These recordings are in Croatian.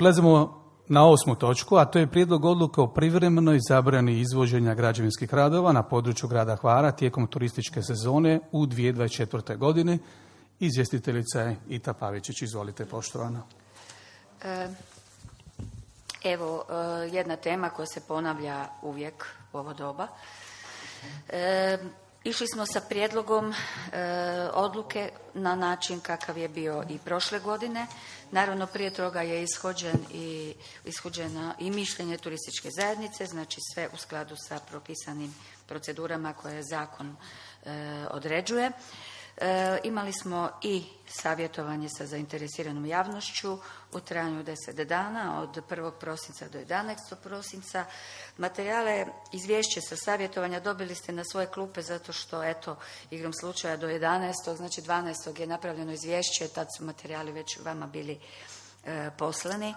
Prelazimo na 8. točku, a to je prijedlog odluke o privremenoj zabrani izvođenja građevinskih radova na području grada Hvara tijekom turističke sezone u 2024. godini. Izvjestiteljica je Ita Pavičić. Izvolite, poštovana. Evo, jedna tema koja se ponavlja uvijek u ovo doba. Išli smo sa prijedlogom odluke na način kakav je bio i prošle godine. Naravno, prije toga je ishođeno i mišljenje turističke zajednice, znači sve u skladu sa propisanim procedurama koje zakon određuje. Imali smo i savjetovanje sa zainteresiranom javnošću u trajanju 10 dana, od 1. prosinca do 11. prosinca. Materijale, izvješće sa savjetovanja dobili ste na svoje klupe zato što, eto, igrom slučaja do 11. znači 12. je napravljeno izvješće, tad su materijali već vama bili poslani,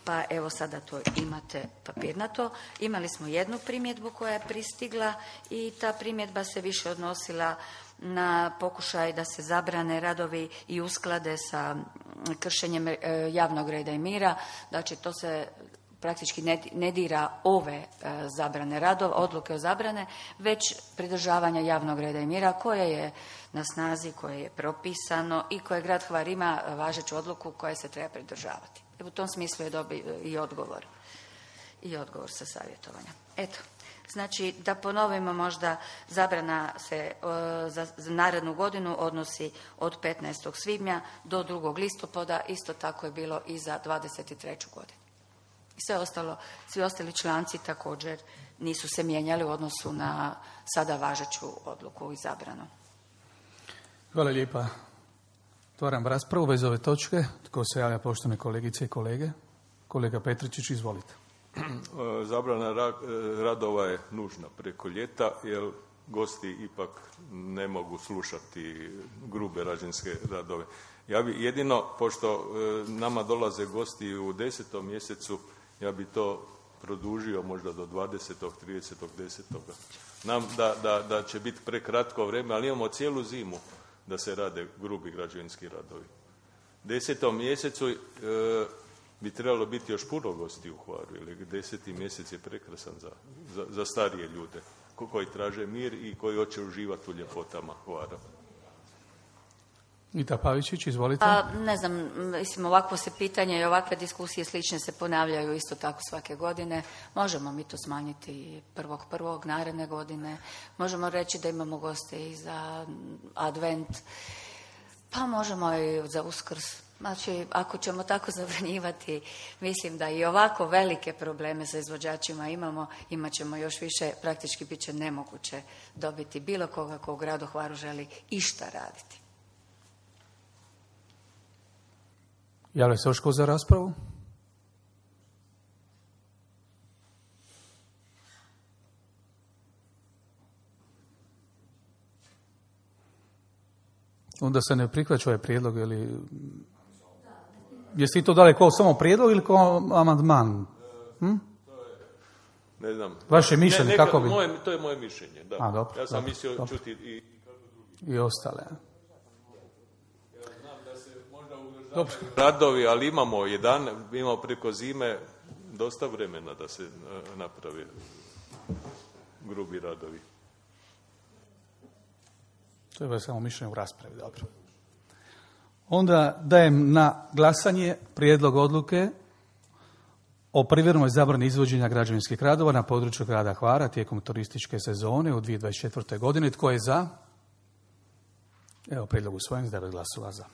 pa evo sada to imate papirnato. Imali smo jednu primjedbu koja je pristigla i ta primjedba se više odnosila na pokušaj da se zabrane radovi i usklade sa kršenjem javnog reda i mira. Znači, to se praktički ne dira ove zabrane radova, odluke o zabrane, već pridržavanja javnog reda i mira koje je na snazi, koje je propisano i koje grad Hvar ima važeću odluku koje se treba pridržavati. U tom smislu je dobio i odgovor sa savjetovanja. Eto. Znači, da ponovimo možda, zabrana se za narednu godinu odnosi od 15. svibnja do 2. listopada, isto tako je bilo i za 23. godinu. I svi ostali članci također nisu se mijenjali u odnosu na sada važeću odluku i zabranu. Hvala lijepa. Otvaram raspravu bez ove točke. Tko se javlja, poštovane kolegice i kolege? Kolega Petričić, izvolite. Zabrana radova je nužna preko ljeta, jer gosti ipak ne mogu slušati grube građevinske radove. Ja bi jedino, pošto nama dolaze gosti u 10. mjesecu, ja bi to produžio možda do 20. 30. 10. Znam da će biti prekratko vrijeme, ali imamo cijelu zimu da se rade grubi građevinski radovi. U 10. mjesecu bi trebalo biti još puno gosti u Hvaru, jer 10. mjesec je prekrasan za starije ljude koji traže mir i koji hoće uživati u ljepotama Hvara. Ita Pavičić, izvolite. Ne znam, mislim, ovakvo se pitanje i ovakve diskusije slične se ponavljaju isto tako svake godine. Možemo mi to smanjiti 1.1. naredne godine. Možemo reći da imamo goste i za advent, pa možemo i za Uskrs. Znači, ako ćemo tako zabranjivati, mislim da i ovako velike probleme sa izvođačima imat ćemo još više, praktički bit će nemoguće dobiti bilo koga ko u gradu Hvaru želi išta raditi. Javlja se još ko za raspravu? Onda se ne prihvaća ovaj prijedlog, ili... Jeste li to dali kao samo prijedlog ili kao amandman? Ne znam. Vaše mišljenje, kako bi? To je moje mišljenje, da. Dobro, ja sam mislio čuti i ostale. Ja znam da se možda udržavaju radovi, ali imamo preko zime dosta vremena da se naprave grubi radovi. To je samo mišljenje u raspravi, dobro. Onda dajem na glasanje prijedlog odluke o privremenoj zabrani izvođenja građevinskih radova na području grada Hvara tijekom turističke sezone u 2024. godini. Tko je za? Evo, prijedlog usvojen s 9 glasova za.